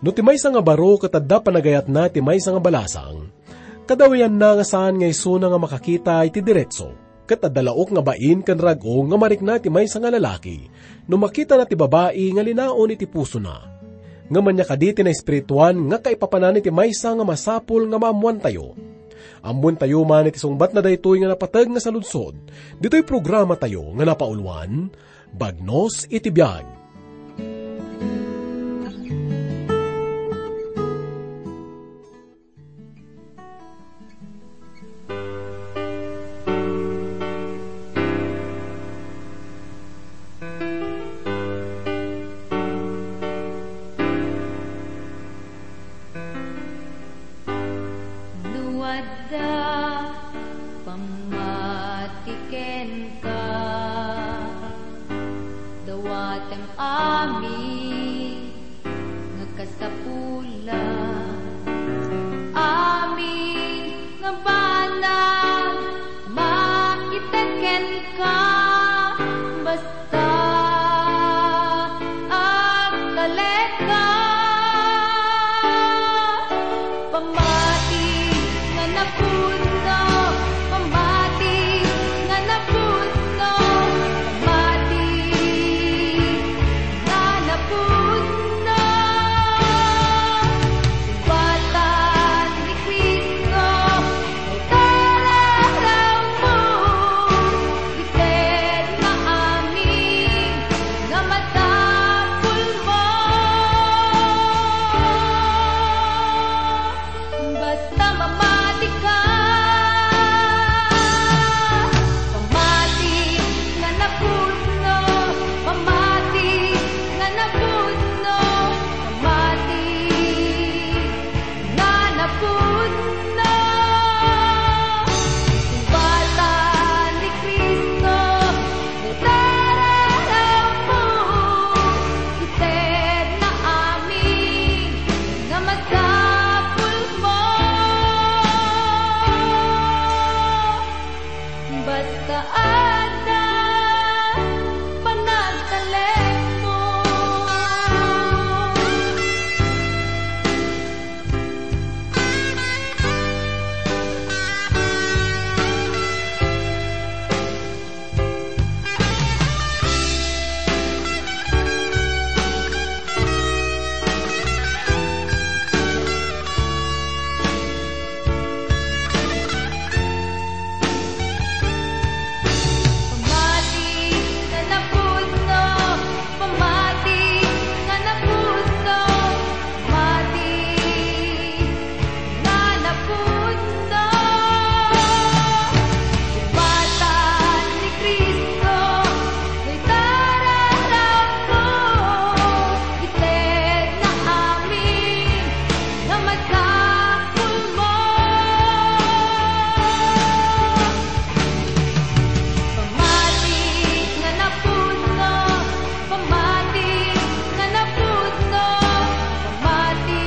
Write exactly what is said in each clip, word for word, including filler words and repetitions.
No ti maysa nga baro ket adda panagayatna ti maysa nga balasang, kadawianna nga saan nga isuna nga makakita iti diretso, ket adda laok nga bain ken rag-o nga marikna ti maysa nga lalaki, no makitana ti babai nga linaon iti pusona. Ngem ania kadi ti naespirituan nga kaipapanan iti maysa nga masapul nga maammoantayo? Ammoentayo man iti sungbatna daytoy nga napateg nga saludsod, ditoy programatayo nga napauluan, Bagnos iti Biag. No adda pammati kenka, dawatem amin nga kasapulan, amin nga banag maited kenka, basta agtalekka. Pammati nga napudno, pammati nga napudno, pammati nga napudno. Sumbatan ni Cristo, itararammo, itedna amin nga masapulmo. Basta mamatika, pamati nga napudno, pamati nga napudno, pamati nga napudno. Sumbatan ni Cristo, itararammo, itedna amin nga masapulmo. Basta adda panagtalekmo. Pamati nga napudno, pamati nga napudno, pamati nga napudno. Sumbatan ni Cristo, itararammo, itedna amin nga masapulmo. Pamati nga napudno, pamati nga napudno, pamati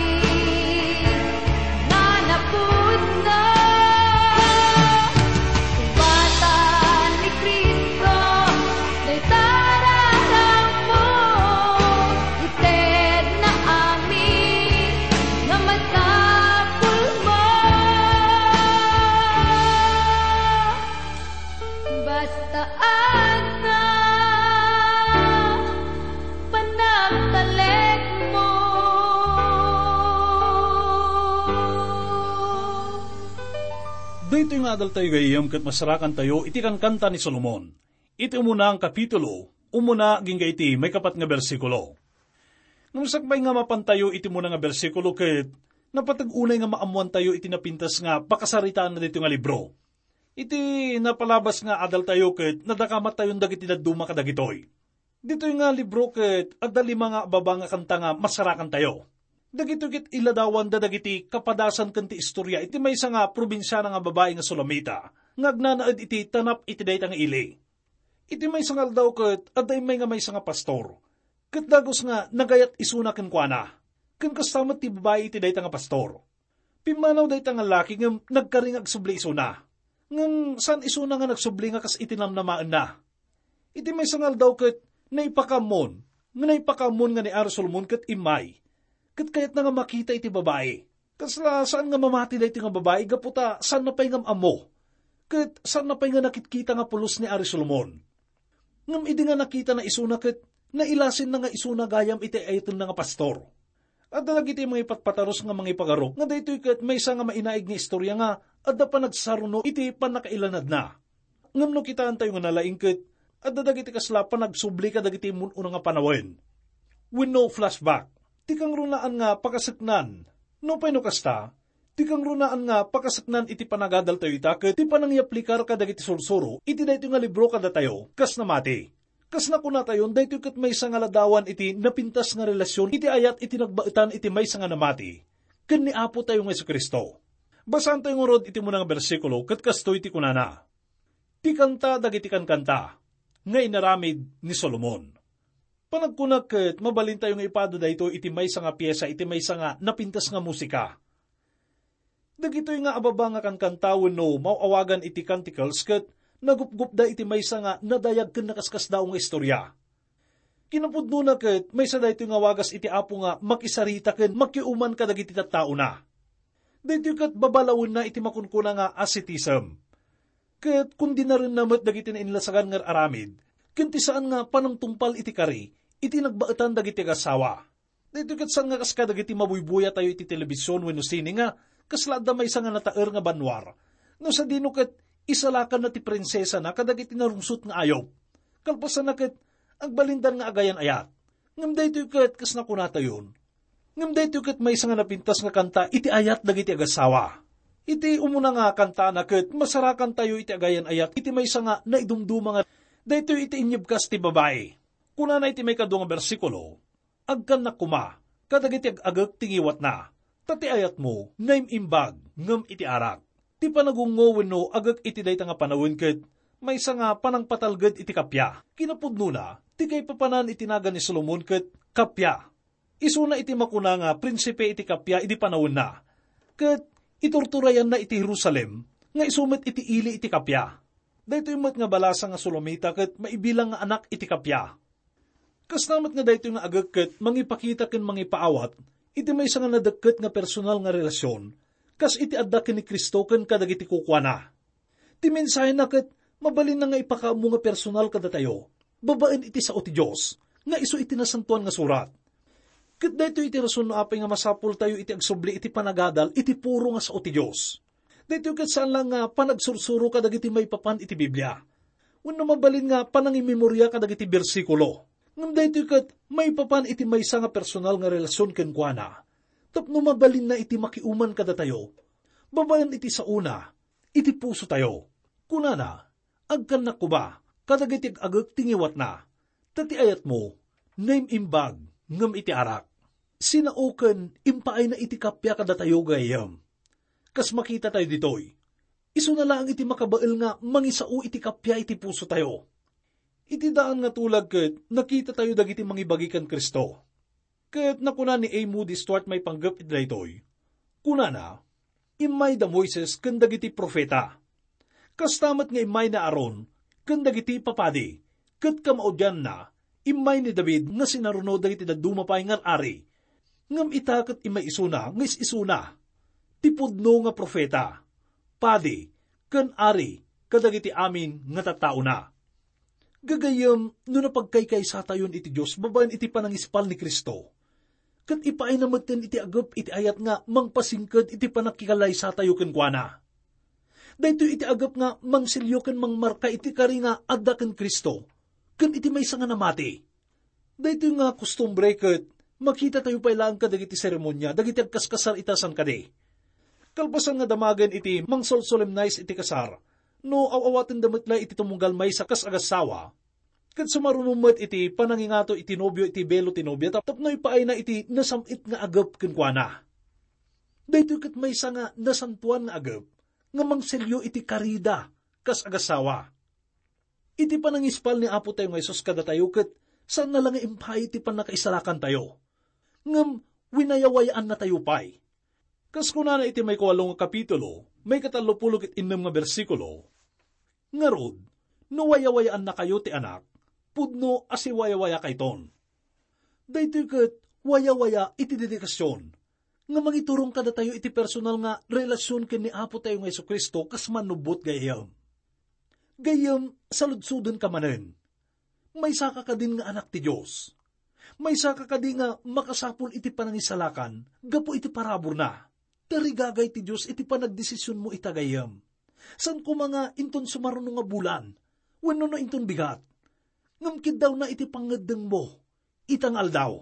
nga napudno. Sumbatan ni Cristo, dayta rarammo, itedna amin nga masapulmo. Basta adda panagtalekmo. Daytoy nga adaltayo, gayyem, ket masarakantayo iti kankanta ni Solomon. Iti umuna nga kapitulo, umuna agingga iti maikapat nga bersikulo. Ngem sakbay nga mapantayo iti umuna nga bersikulo ket napateg unay nga maammoantayo iti napintas nga pakasaritaanna daytoy nga libro. Iti napalabas nga adaltayo ket nadakamatyon dagiti dadduma kadagitoy. Ditoy nga libro ket adda lima nga abbaba nga kanta nga masarakantayo. Dagitoy ket iladawanda dagiti kapadasan ken ti istoria iti maysa nga probinsiana nga babai nga Sulamita nga agnanaed iti tanap iti dayta nga ili. Iti maysa nga aldaw ket adda immay nga maysa nga pastor, ket dagus nga nagayat isuna kenkuana, ken kasta met ti babai iti dayta nga pastor. Pimmanaw dayta nga laki ngem nagkari nga agsubli isuna. Ngem saan isuna nga nagsubli nga kas iti namnamaenna. Iti maysa nga aldaw ket naipakaammon, nga naipakaammon nga ni Ari Solomon ket immay. Ket kayatna nga makita iti babai. Kasla saan nga mamati daytoy nga babai gapu ta saanna pay nga am-ammo. Ket saanna pay nga nakitkita nga pulos ni Ari Solomon. Ngem idi nga nakitana isuna ket nailasinna nga isuna gayam iti ayatenna nga pastor. Adda dagiti mangipatpatarus nga mangipagarok nga daytoy ket maysa nga mainaig nga istorya nga adda panagsaruno iti pannakailanadna. Ngem no kitaentayo nga nalaing ket adda dagiti kasla panagsubli kadagiti immun-una nga panawen. Wenno flashback. Ti kangrunaan nga pakaseknan. Nupay no kasta, ti kangrunaan nga pakaseknan iti panagadaltayo ita ket ti panangiyaplikar kadagiti sursuro iti daytoy nga libro kadatayo kas namati. Kas nakunatayon, daytoy ket maysa nga ladawan iti napintas nga relasyon iti ayat iti nagbaetan iti maysa nga namati ken ni Apotayo nga Jesu-Cristo. Basaantayo ngarud iti umuna nga bersikulo ket kastoy ti kunana, "Ti kanta dagiti kankanta nga inaramid ni Solomon." Panagkunak ket mabalintayo nga ipada daytoy iti maysa nga piesa iti maysa nga napintas nga musika. Dagitoy nga ababa nga kankanta wenno maaw-awagan iti canticles ket nagupgupda iti maysa nga nadayag ken nakaskasdaaw nga istorya. Kinapudnona ket maysa daytoy nga wagas iti Apo nga makisarita ken makiuman kadagiti tattaona. Daytoy ket babalawenna iti makunkuna nga asceticism. Ket kundinarenna met dagiti nainlasagan nga aramid ken ti saan nga panangtungpal iti kari iti nagbaetan dagiti agassawa. Daytoy ket saan nga kas kadagiti mabuybuyatayo iti telebision wenno sine nga kasla adda maysa nga nataer nga bannuar. No sadino ket isalakanna ti prinsesana kadagiti narungsot nga ayup. Kalpasanna ket agbalindan nga agayan-ayat. Ngem daytoy ket kas nakunatayon. Ngem daytoy ket maysa nga napintas nga kanta iti ayat dagiti agassawa. Iti umuna nga kantana ket masarakantayo iti agayan-ayat iti maysa nga naidumduma nga daytoy iti inyebkas ti babai. Kunana iti maikadua nga bersikulo, "Agkannak koma kadagiti ag-agek ti ngiwatna, ta ti ayatmo naim-imbag ngem iti arak." Ti panagungngo wenno agek iti dayta nga panawen ket maysa nga panangpatalged iti kappia. Kinapudnona, ti kaipapanan iti nagan ni Solomon ket kappia. Isuna iti makuna nga prinsipe iti kappia idi panawenna, ket iturturayanna iti Jerusalem nga isu met iti ili iti kappia. Daytoy met nga balasa nga Sulamita ket maibilang nga anak iti kappia. Kasta met nga daytoy nga agek ket mangipakita ken mangipaawat iti maysa nga nadekket nga personal nga relasion, kas iti adda ken ni Cristo ken kadagiti kukuana. Ti mensahena ket mabalinna nga ipakaammo nga personal kadatayo, babaen iti sao ti Dios, nga isu iti Nasantoan nga Surat. Ket daytoy iti rason no apay nga masapultayo iti agsubli iti panagadal iti puro nga sao ti Dios. Daytoy ket saan la nga panagsursuro kadagiti maipapan iti Biblia, wenno mabalin nga panangimemoria kadagiti bersikulo. Ngem daytoy ket maipapan iti maysa nga personal nga relasion kenkuana, tapno mabalinna iti makiuman kadatayo, babaen iti saona, iti pusotayo. Kunana, "Agkannak koma kadagiti ag-agek ti ngiwatna, ta ti ayatmo naim-imbag ngem iti arak." Sinaoken impaayna iti kappia kadatayo, gayyem. Kas makitatayo ditoy, isuna laeng iti makabael nga mangisao iti kappia iti pusotayo. Iti daan nga tulag ket nakitatayo dagiti mangibagi ken Cristo. Ket nakuna ni A. Moody Stuart maipanggep iti daytoy. Kunana, "Immay da Moises ken dagiti profeta. Kasta met nga immay ni Aaron ken dagiti papadi, ket kamaudianna, immay ni David nga sinaruno dagiti dadduma pay nga ari. Ngem ita ket immay isuna nga is-isuna, ti pudno nga profeta, padi, ken ari kadagiti amin nga tattaona." Gagayyem, no napagkaykaysatayon iti Dios babaen iti panangispal ni Cristo, ket ipaayna metten iti agep iti ayat nga mangpasingked iti pannakikalaysatayo kenkuana. Daytoy iti agep nga mangselio ken mangmarka iti kari nga adda ken Cristo ken iti maysa nga namati. Daytoy nga kostumbre ket makitatayo pay laeng kadagiti seremonia dagiti agkaskasar ita saan kadi. Kalpasan nga damagen iti mangsolsolemnize iti kasar, no aw-awatenda met la iti tumunggal maysa kas agassawa, ket sumaruno met iti panangingato iti nobio iti belo ti nobia tap-, tapno ipaayna iti nasam-it nga agep kenkuana. Daytoy ket maysa nga nasantoan nga agep nga mangselio iti karida kas agassawa. Iti panangispal ni Apo tayo nga Jesus kadatayo ket saanna la nga impaay ti pannakaisalakantayo, ngem winayawayaannatayo pay. Kas kunana iti maikualo nga kapitulo, maikatallo pulo ket innem nga bersikulo, "Ngarud, no wayawayaannakayo ti Anak, pudno a siwayawayakayton." Daytoy ket wayawaya iti dedikasyon nga mangiturong kadatayo iti personal nga relasion ken ni Apo tayo nga Jesu-Cristo kas mannubbot gayyem. Gayyem, saludsodenka manen. Maysaka kadin nga anak ti Dios. Maysaka kadi nga makasapul iti panangisalakan gapu iti paraburna. Tarigagay ti Dios iti panagdesisionmo ita gayyem. Saan koma nga inton sumaruno nga bulan, wenno no inton bigat. Ngem kiddawna iti pangngeddengmo ita nga aldaw.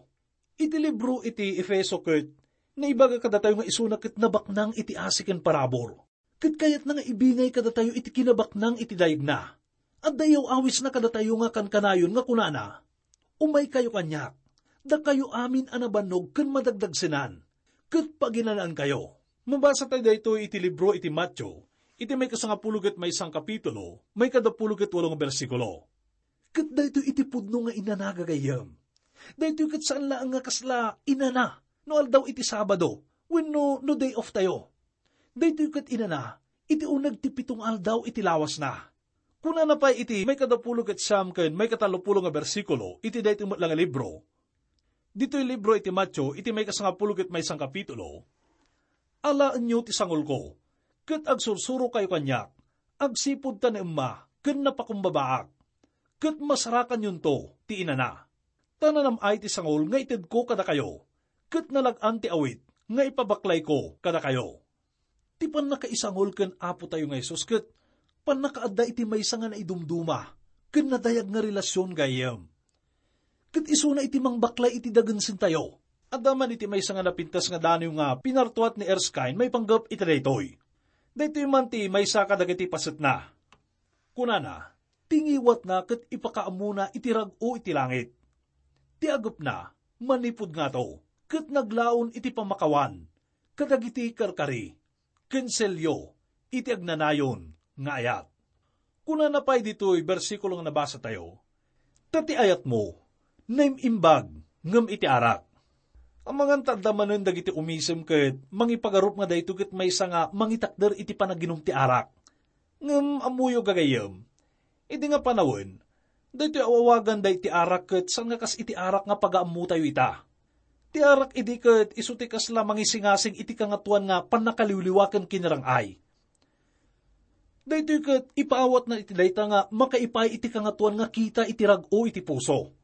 Iti libro iti Efeso ket naibaga kadatayo nga isuna ket nabaknang iti asi ken parabur. Ket kayatna nga ibingay kadatayo iti kinabaknang iti dayegna. Adda yaw-awisna kadatayo nga kankanayon nga kunana, "Umaykayo kaniak, dakayo amin a nabannog ken madagdagsenan, ket paginanaankayo." Mabasa tayo daytoy iti libro iti Mateo, iti maikasangapulo ket maysa nga kapitulo, maikadapulo ket walo nga bersikulo. Ket daytoy iti pudno nga inana, gagayyem. Daytoy ket saan laeng nga kasla inana no aldaw iti Sabado wenno no day off tayo. Daytoy ket inana iti uneg ti pito nga aldaw iti lawasna. Kunana pay iti maikadapulo ket siam ken maikatallopulo nga bersikulo iti daytoy met la nga libro. Ditoy libro iti Mateo iti maikasangapulo ket maysa nga kapitulo, "Alaenyo ti sangolko, ket agsursurokayo kaniak, agsipud ta naemma ken napakumbabaak, ket masarakanyonto ti inana. Ta nanam-ay ti sangol nga itedko kadakayo, ket nalag-an ti awit nga ipabaklayko kadakayo." Ti pannakaisangol ken Apo tayo nga Jesus ket pannakaadda iti maysa nga naidumduma ken nadayag nga relasion, gayyem. Ket isuna iti mangbaklay iti dagensentayo. Adda man iti maysa nga napintas nga daniw nga pinartuat ni Erskine maipanggep iti daytoy. Daytoy man ti maysa kadagiti pasetna. Kunana, ti ngiwatna ket ipakaammona iti rag-o iti langit. Ti agepna, manipud ngato, ket naglaon iti pammakawan kadagiti karkari ken selio iti agnanayon nga ayat. Kunana pay ditoy bersikulo nga nabasa tayo, "Ta ti ayatmo, naim-imbag ngem iti arak." Amangan ta adda manen dagiti umisem ket mangipagarup nga daytoy ket maysa nga mangitakder iti panaginum ti arak. Ngem ammoyo, gagayyem, idi nga panawen, daytoy awawagan daydi arak ket saan nga kas iti arak nga pagaammotayo ita. Ti arak idi ket isu ti kasla mangisingasing iti Kangatoan nga pannakaliwliwa ken kinarang-ay. Daytoy ket ipaawatna iti dayta nga makaipaay iti Kangatoan nga kita iti rag-o iti puso.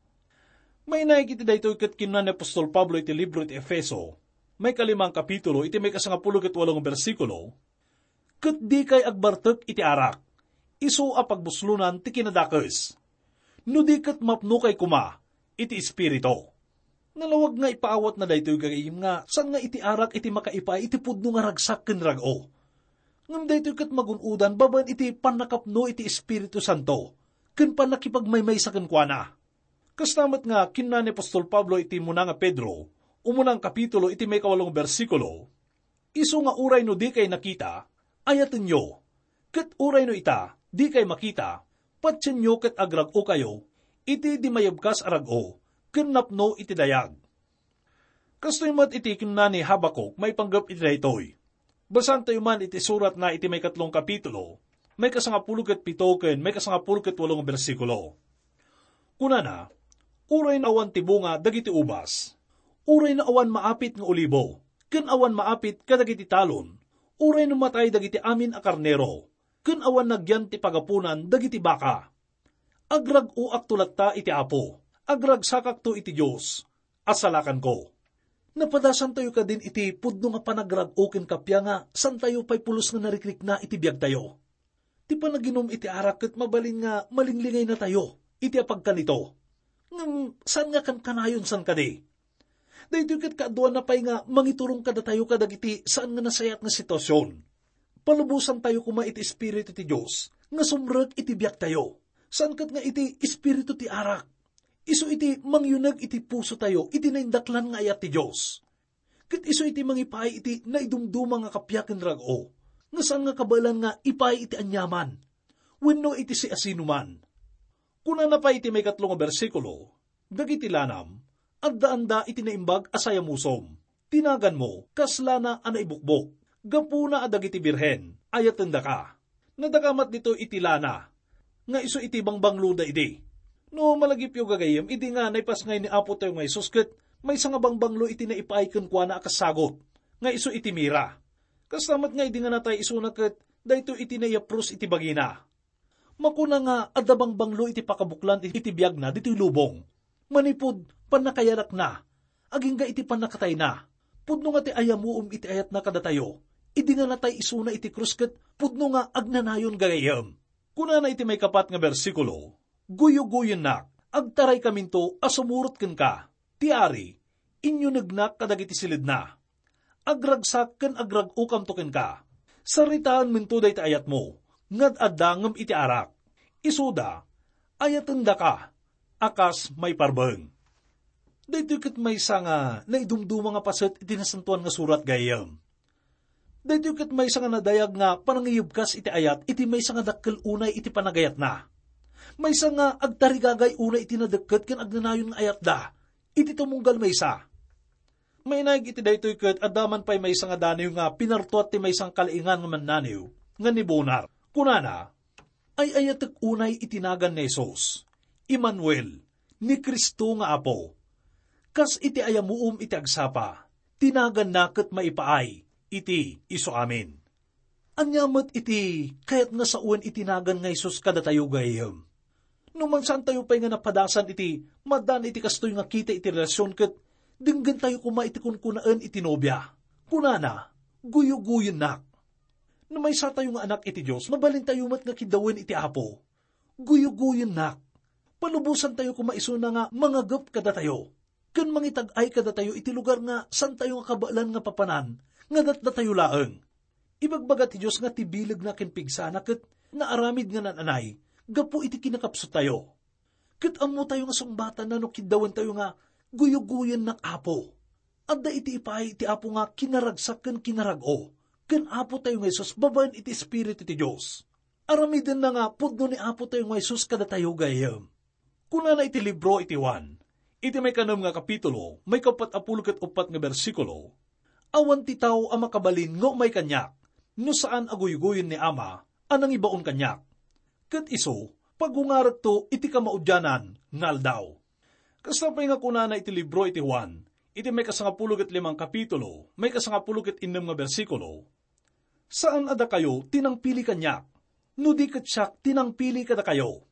Mainaig iti daytoy ket kinuna ni apostol Pablo iti libro iti Efeso, maikalimang kapitulo, iti maikasangapulo ket walo nga bersikulo, "Ket dikay agbartek iti arak, isu a pagbuslonan ti kinadakes. No di ket mapnokay koma iti Espiritu." Nalawag nga ipaawatna daytoy, gagayyem, nga saan nga iti arak iti makaipaay iti pudno nga ragsak ken rag-o. Ngem daytoy ket magun-odan babaen iti pannakapno iti Espiritu Santo ken pannakipagmaymaysa kenkuana. Kasta met nga kinuna ni apostol Pablo iti muna nga Pedro, umuna nga kapitulo, iti maikawalo nga bersikulo, "Isu nga uray no dikay nakita, ayatenyo. Ket uray no ita, dikay makita, patienyo ket agrag-okayo iti di mayebkas a rag-o ken napno iti dayag." Kastoy met iti kinuna ni Habacuc maipanggep iti daytoy. Basaantayo man iti suratna iti maikatlong kapitulo, maikasangapulo ket pito ken maikasangapulo ket walo nga bersikulo. Kunana, "Uray no awan ti bunga dagiti ubas, uray no awan maapit nga olibo, ken awan maapit kadagiti talon, uray no matay dagiti amin a karnero, ken awan nagyan ti pagapunan dagiti baka, agrag-oakto latta iti Apo, agragsakakto iti Dios a salakanko." Napadasantayo kadin iti pudno nga panagrag-o ken kappia nga saantayo pay pulos nga narikrikna iti biagtayo. Ti panaginum iti arak ket mabalin nga malinglingay natayo iti apagkanito. Ngem saan nga kankanayon san kadi? Daytoy ket kaaduanna pay nga mangiturong kadatayo kadagiti saan nga nasayaat nga sitwasyon. Palubosantayo koma iti Espiritu ti Dios nga sumrek iti biagtayo. Saan ket nga iti espiritu ti arak. Isu iti mangyuneg iti pusotayo iti naindaklan nga ayat ti Dios. Ket isu iti mangipaay iti naidumduma nga kappia ken rag-o, nga saan nga kabaelan nga ipaay iti aniaman wenno iti siasinoman. Kunana pay iti maikatlo nga bersikulo, "Dagiti lanam, addaanda iti naimbag a sayamusom. Ti naganmo, kas lana a naibukbok, gapuna a dagiti birhen, ayatendaka." Nadakamat ditoy iti lana, nga isu iti bangbangloda idi. No malagipyo, gagayyem, idi nga naipasngay ni Apo tayo nga Jesus ket Maysa nga bangbanglo iti naipaay kenkuana a kas sagut, nga isu iti mira. Kasta met nga idi nga natay isuna ket daytoy iti naiyapros iti bagina. Makuna nga adda bangbanglo iti pakabuklan iti biagna ditoy lubong. Manipud pannakayalakna, agingga iti pannakatayna. Pudno nga ti ayamuom iti ayatna kadatayo. Idi nga natay isuna iti krus ket pudno nga agnanayon gagayyem. Kunana iti maikapat nga bersikulo, "Guyugoyennak, agtaraykaminto a sumurot kenka." Ti ari, inyunegnak kadagiti siledna. Agragsak ken agrag-okamto kenka. Saritaenmento dayta ayatmo, nga ad-adda ngem iti arak. Isuda, ayatendaka, a kas maiparbeng. Daytoy ket maysa nga naidumduma nga paset iti Nasantoan nga Surat gayyem. Daytoy ket maysa nga nadayag nga panangiyebkas iti ayat iti maysa nga dakkel unay iti panagayatna. Maysa nga agtarigagay unay iti nadekket ken agnanayon nga ayatda iti tumunggal maysa. Mainaig iti daytoy ket adda man pay maysa nga daniw nga pinartuat ti maysa nga kalaingan nga mannaniw nga ni Bonar. Kunana, "Ay-ayatek unay iti nagan ni Jesus, Emmanuel, ni Cristo nga Apo. Kas iti ayamuom iti agsapa, ti naganna ket maipaay iti isu amin." Ania met iti kayat nga sawen iti nagan nga Jesus kadatayo gayyem? No mansantayo pay nga napadasan iti madan iti kastoy nga kita iti relasyon ket denggentayo koma iti kunkunaen iti nobia. Kunana, "Guyugoyennak." No maysatayo nga anak iti Dios, mabalintayo met nga kiddawen iti Apo. Guyugoyennak. Palubosantayo koma isuna nga mangagep kadatayo ken mangitag-ay kadatayo iti lugar nga santayo nga kabaelan nga papanan nga datdatayo laeng. Ibagbaga ti Dios nga ti bilegna ken pigsana ket naaramid nga naan-anay gapu iti kinakapsuttayo. Ket ammotayo nga sungbatanna no kiddawentayo nga, "Guyugoyennak, Apo." Adda iti ipaay ti Apo nga kinaragsak ken kinarag-o ken Apotayo nga Jesus babaen iti Espiritu ti Dios. Aramidenna nga pudno ni Apotayo nga Jesus kadatayo gayyem. Kunana iti libro iti Juan, iti maikanem nga kapitulo, maikapat a pulo ket uppat nga bersikulo, "Awan ti tao a makabalin nga umay kaniak, no saan a guygoyen ni Ama a nangibaon kaniak. Ket isu, pagungarekto iti kamaudianan nga aldaw." Kasta pay nga kunana iti libro iti Juan, iti maikasangapulo ket limang kapitulo, maikasangapulo ket innem nga bersikulo, "Saan a dakayo ti nangpili kaniak, no di ket siak ti nangpili kadakayo.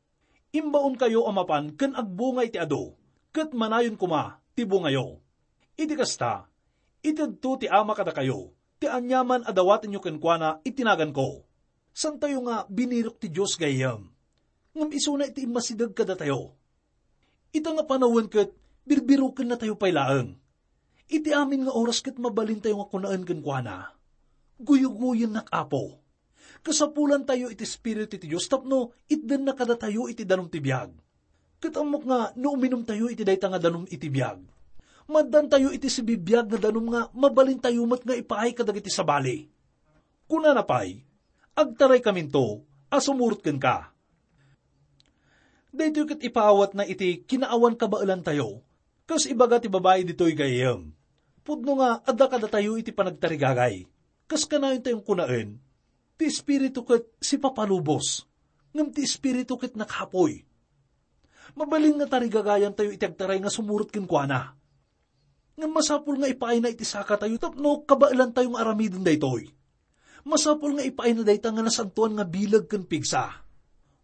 Imbaonkayo a mapan ken agbunga iti adu, ket manayon koma ti bungayo. Iti kasta, itedto ti Ama kadakayo ti aniaman a dawatenyo kenkuana iti naganko." Santayo nga binirok ti Dios gayyem, ngem isuna iti immasideg kadatayo. Ita nga panawen ket birbirokennatayo pay laeng. Iti amin nga oras ket mabalintayo nga kunaen kenkuana, "Guyugoyennak, Apo." Kasapulantayo iti Espiritu ti Dios tapno itdenna kadatayo iti danum ti biag. Ket ammok nga no uminumtayo iti dayta nga danum iti biag, maaddantayo iti sibibiag nga danum nga mabalintayo met nga ipaay kadagiti sabali. Kunana pay, "Agtaraykaminto a sumurot kenka." Daytoy ket ipaawatna iti kinaawan kabaelantayo. Kas ibaga ti babai ditoy gayyem, pudno nga adda kadatayo iti panagtarigagay. Kas kanayontayon kunaen, ti Espiritu ket sipapalubos, ngem ti Espiritu ket nakapoy. Mabalin nga tarigagayantayo iti agtaray nga sumurot kenkuana. Ngem masapul nga ipaayna iti sakatayo tapno kabaelantayo nga aramiden daytoy. Masapul nga ipaayna dayta nga nasantoan nga bileg ken pigsa.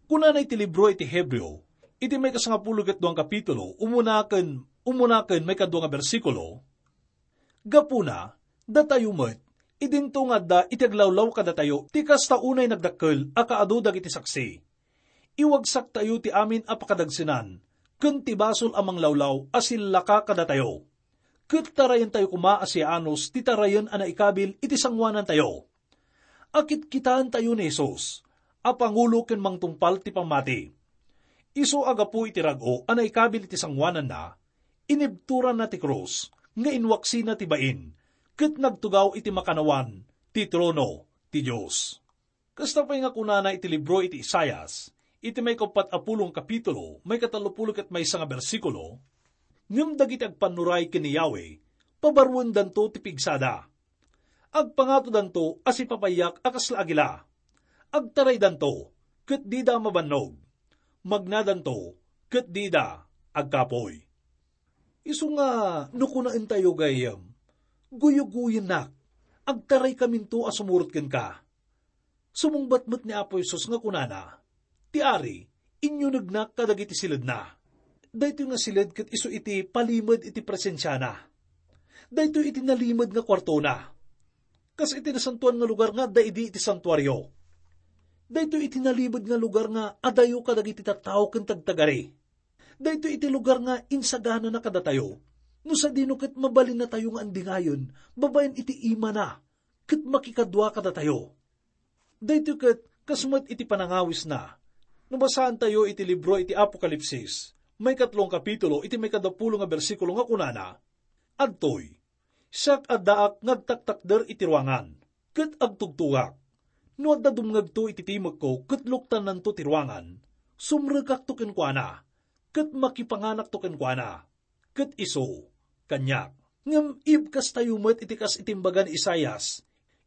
Kunana iti libro iti Hebreo, iti maikasangapulo ket duang kapitulo, umuna ken, umuna ken maikadua nga bersikulo, "Gapuna, datayo met, idinto nga adda iti aglawlaw kadatayo ti kasta unay nagdakkel a kaadu dagiti saksi. Iwagsaktayo ti amin a pakadagsenan ken ti basol a manglawlaw a sillaka kadatayo. Ket tarayentayo koma a siaanus ti tarayen a naikabil iti sangoanantayo, a kitkitaentayo ni Jesus a pangulo ken mangtungpal ti pammati. Isu a gapu iti rag-o a naikabil iti sangoananna, inibtoranna ti krus nga inwaksina ti bain, ket nagtugaw iti makannawan ti trono ti Dios." Kasta pay nga kunana iti libro iti Isaias, iti maikappat a pulong kapitulo, maikatallopulo ket maysa nga bersikulo, "Ngem dagiti agpannuray ken ni Yahweh, pabaruendanto ti pigsada. Agpangatodanto a sipapaiak a kasla agila. Agtaraydanto, ket dida mabannog. Magnadanto, ket dida agkapoy." Isu nga no kunaentayo, gayyem, "Guyguyennak, agtaraykaminto a sumurot kenka." Sumungbat met ni Apo Jesus nga kunana, "Ti Ari, inyunegnak kadagiti siledna." Daytoy nga siled ket isu iti palimed iti presensiana. Daytoy iti nalimed nga kuartona. Kas iti nasantoan nga lugar nga adda idi iti santuario. Daytoy iti nalimed nga lugar nga adayo kadagiti tattao ken tagtagari. Daytoy iti lugar nga insaganana kadatayo. No sadino ket mabalinnatayo nga andingayen babaen iti imana ket makikadua kadatayo. Daytoy ket kas met iti panangawisna. No basaantayo iti libro iti Apokalipsis, maikatlo a kapitulo, iti maikadapulo nga bersikulo nga kunana, "Adtoy, siak addaak nga agtaktakder iti ruangan, ket agtugtugak. No adda dumngegto iti timekko ket luktannanto ti ruangan, sumrekakto kenkuana, ket makipanganakto kenkuana, ket isu kaniak." Ngem ibkastayo met iti kas iti imbaga ni Isaias,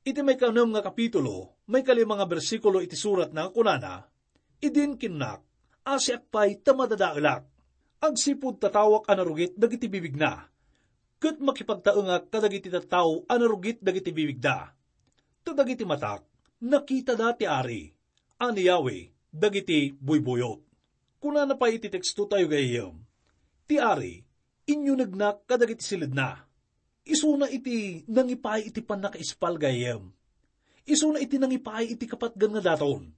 iti maikanem nga kapitulo, maikalima nga bersikulo iti suratna nga kunana, "Idin kinnak, 'Asiak pay ta madadaelak. Agsipud tatawak a narugit dagiti bibigna, ket makipagtaengak kadagiti tattao a narugit dagiti bibigda. Ta dagiti matak, nakitada ti Ari, a ni Yahweh dagiti buybuyot." Kunana pay iti tekstotayo, gayyem, "Ti Ari, inyunegnak kadagiti siledna." Isuna iti nangipaay iti pannakaispal, gayyem. Isuna iti nangipaay iti kapatgan nga daton.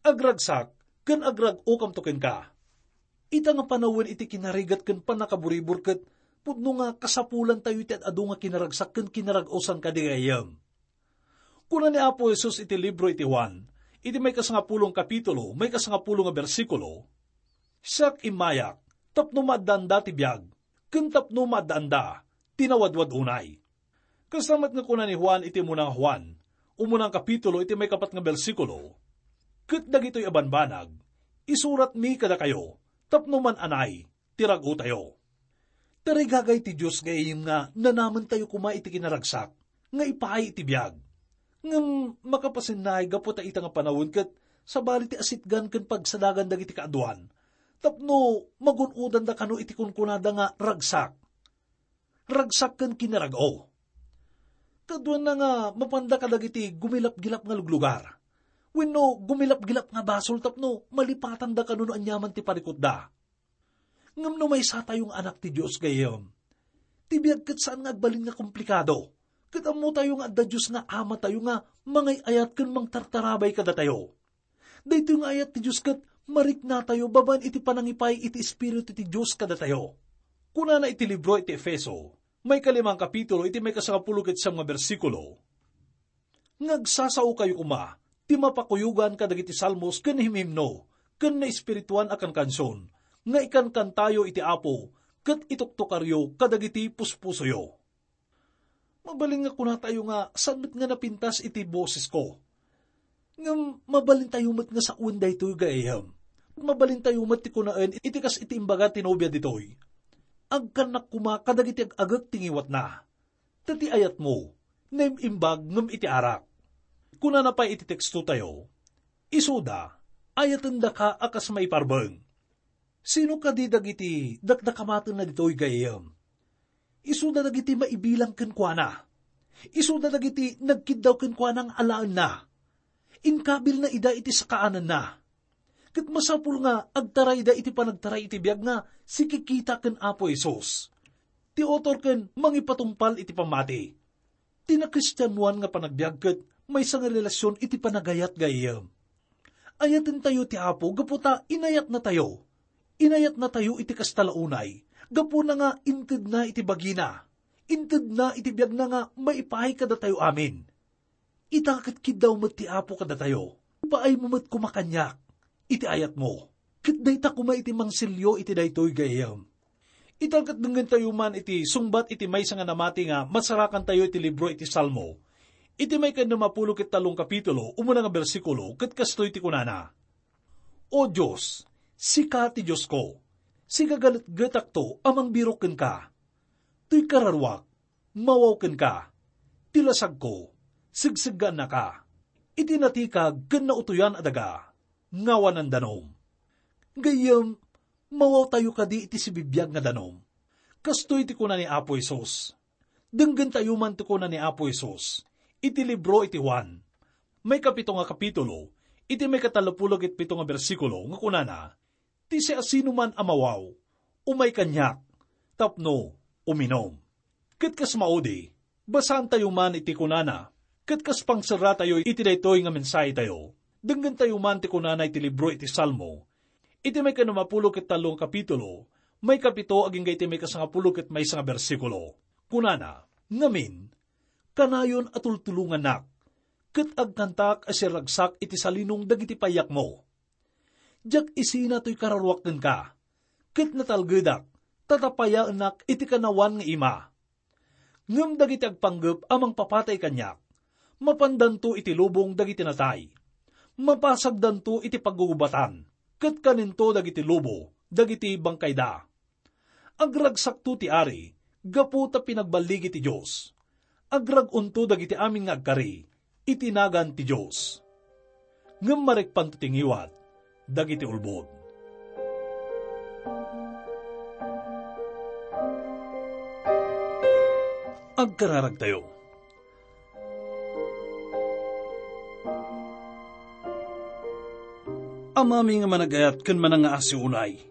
Agragsak ken agrag-okamto kenka. Ita nga panawen iti kinarigat ken pannakaburibor ket pudno nga kasapulantayo iti ad-adu nga kinaragsak ken kinarag-osan kadi, gayyem. Kuna ni Apo Jesus iti libro iti Juan, iti maikasangapulong kapitulo, maikasangapulong nga bersikulo, "Siak immayak tapno maaddaanda ti biag, ken tapno maaddaanda ti nawadwad unay." Kasta met nga kuna ni Juan iti umuna nga Juan, umuna nga kapitulo, iti maikapat nga bersikulo, "Ket dagitoy a banbanag, isuratmi kadakayo tapno man-anay ti rag-otayo." Tarigagay ti Dios, gayyem, nga nanamentayo koma iti kinaragsak nga ipaay iti biag. Ngem makapasennaay gapu ta ita nga panawen ket sabali ti asitgan ken pagsadagan dagiti kaaduan tapno magun-odanda kano iti kunkunada nga ragsak. Ragsak ken kinarag-o. Kaduana nga mapanda kadagiti gumilapgilap nga luglugar wenno gumilapgilap nga basol tapno malipatanda kano no aniaman ti parikutda. Ngem no maysatayo nga anak ti Dios, gayyem, ti biag ket saan nga agbalin nga komplikado. Ket ammotayo nga adda Dios nga Amatayo nga mangay-ayat ken mangtartarabay kadatayo. Daytoy nga ayat ti Dios ket mariknatayo babaen iti panangipaay iti Espiritu ti Dios kadatayo. Kunana iti libro iti Efeso, maikalima a kapitulo, iti maikasangapulo ket siam nga bersikulo, "Nga agsasaokayo koma ti mapakuyogan kadagiti salmos ken himhimno ken naespirituan a kankansion nga ikankantayo iti Apo ket ituktokaryo kadagiti puspusoyo." Mabalin nga kunatayo nga saan met nga napintas iti bosesko. Ngem mabalintayo met nga sawen daytoy, gayyem. Mabalintayo met ti kunaen iti kas iti imbaga ti nobia ditoy, "Agkannak koma kadagiti ag-agek ti ngiwatna." Ta ti ayatmo, naim-imbag ngem iti arak. Kunana pay iti tekstotayo, "Isuda, ayatendaka a kas maiparbeng." Sino kadi dagiti dakdakamatenna ditoy, gayyem? Isuda dagiti maibilang kenkuana. Isuda dagiti nagkiddaw kenkuana nga alaenna. Inkabilna ida iti sakaananna. Ket masapul nga agtarayda iti panagtaray iti biag nga sikikita ken Apo Jesus, ti author ken mangipatungpal iti pammati. Ti nakristianoan nga panagbiag ket maysa nga relasion iti panagayat, gayyem. Ayatentayo ti Apo gapu ta inayatnatayo. Inayatnatayo iti kasta la unay, gapuna nga intedna iti bagina. Intedna iti biagna nga maipaay kadatayo amin. Ita ket kiddaw met ti Apo kadatayo. Ipaaymo met koma kaniak iti ayatmo. Ket dayta koma iti mangsilyo iti daytoy, gayyem. Ita ket dengngentayo man iti sungbat iti maysa nga namati nga masarakantayo iti libro iti Salmo, iti maikadnem a pulo ket tallo a kapitulo, umuna nga bersikulo, ket kastoy ti kunana, "O Dios, sika ti Diosko, sigagaletgetakto a mangbirok kenka. Toy kararuak, mawaw kenka. Ti lasagko, segseggaannaka. Iti natikag ken nautoyan a daga, ngawanan danom." Gayyem, mawawtayo kadi iti sibibiag nga danom. Kastoy ti kuna ni Apo Jesus. Denggentayo man ti kuna ni Apo Jesus iti libro iti Juan, maikapito nga kapitulo, iti maikatallopulo ket pito nga bersikulo nga kunana, "Ti siasinoman a mawaw, umay kaniak tapno uminum." Ket kas maudi, basaantayo man iti kunana, ket kas pangserratayo iti daytoy nga mensahetayo, denggentayo man ti kunana iti libro iti Salmo, iti maikanumapulo ket tallo nga kapitulo, maikapito agingga iti maikasangapulo ket maysa nga bersikulo. Kunana, "Ngamin, kanayon a tultulongannak, ket agkantaak a sirragsak iti salinong dagiti payakmo. Diak isina toy kararuak kenka, ket natalgedak, ta tapayaennak iti kanawan nga ima. Ngem dagiti agpanggep a mangpapatay kaniak, mapandanto iti lubong dagiti natay. Mapasagdanto iti paggugubuatan, ket kaninto dagiti lobo dagiti bangkayda. Agragsakto ti ari gapu ta pinagballigi ti Dios. Agrag-onto dagiti amin nga agkari iti nagan ti Dios." Ngem marikpanto ti ngiwat dagiti ulbod. Agkararagtayo. Amami nga managayat ken manangngaasi unay,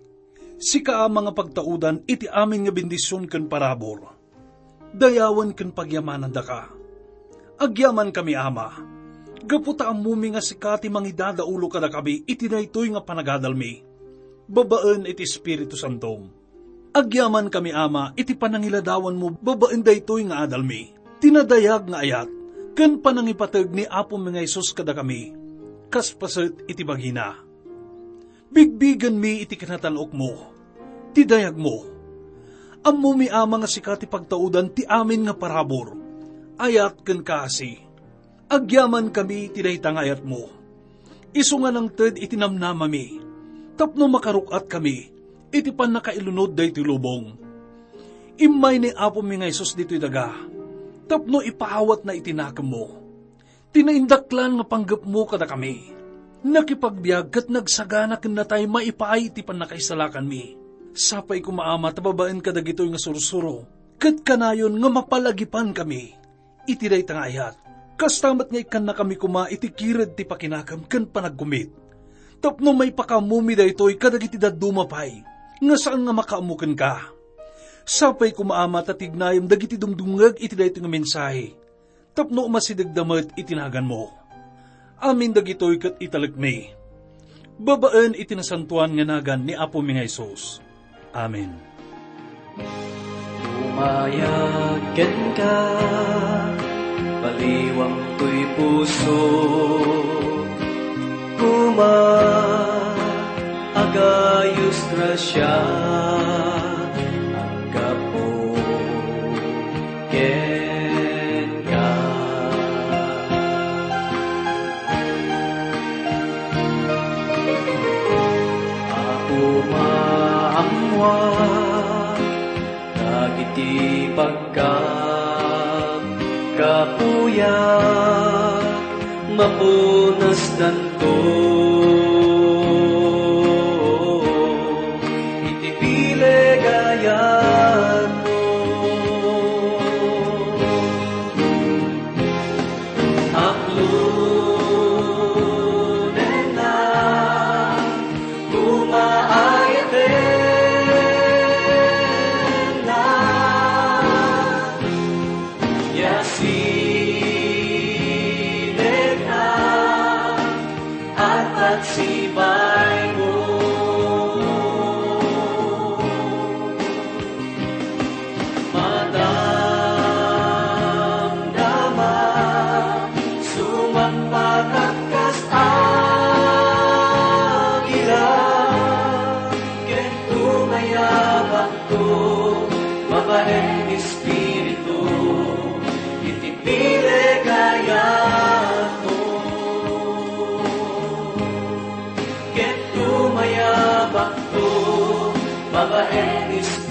sika a mangipagtaudan iti amin nga bendision ken parabur. Dayawen ken pagyamanandaka. Agyamankami, Ama, gapu ta ammomi nga sika ti mangidadaulo kadakami iti daytoy nga panagadalmi, babaen iti Espiritu Santom. Agyamankami, Ama, iti panangiladawanmo babaen daytoy nga adalmi, ti nadayag nga ayat, ken panangipateg ni Apomi nga Jesus kadakami, kas paset iti bagina. Bigbigenmi iti kinatan-okmo, ti dayagmo. Ammomi, Ama, nga sika ti pagtaudan ti amin nga parabur, ayat ken kaasi. Agyamankami iti dayta nga ayatmo. Isu nga nangted iti namnamami, tapno makaruk-atkami iti pannakailunod daytoy lubong. Immay ni Apomi nga Jesus ditoy daga, tapno ipaawatna iti nakemmo ti naindaklan nga panggepmo kadakami. Nakipagbiag ket nagsagana ken natay maipaay iti pannakaisalakanmi. Sapay koma, Ama, ta babaen kadagitoy nga sursuro, ket kanayon nga mapalagipankami iti dayta nga ayat. Kasta met nga ikkannakami koma iti kired ti pakinakem ken panagkumit, tapno maipakaammomi daytoy kadagiti dadduma pay nga saan nga makaammo kenka. Sapay koma, Ama, ta tignayem dagiti dumdumngeg iti daytoy nga mensahe, tapno umasidegda met iti naganmo. Amin dagitoy ket italekmi babaen iti nasantoan nga nagan ni Apomi nga Jesus. Amen. Umayag kenka, baliwam toy puso. Koma, agayos grasia, aggapu kenka. Apo, maammoak dagiti pagkakapuyak, mapunasdanto iti pilegayatmo. Aklonenna, kumaayatenna, ya sinekna, at pagsipaymo. Madamdama, sumangpet kas agila, ken tumayabakto, babaen Espiritu, iti pilegayatmo. Ket tumayabakto, babaen Espiritu,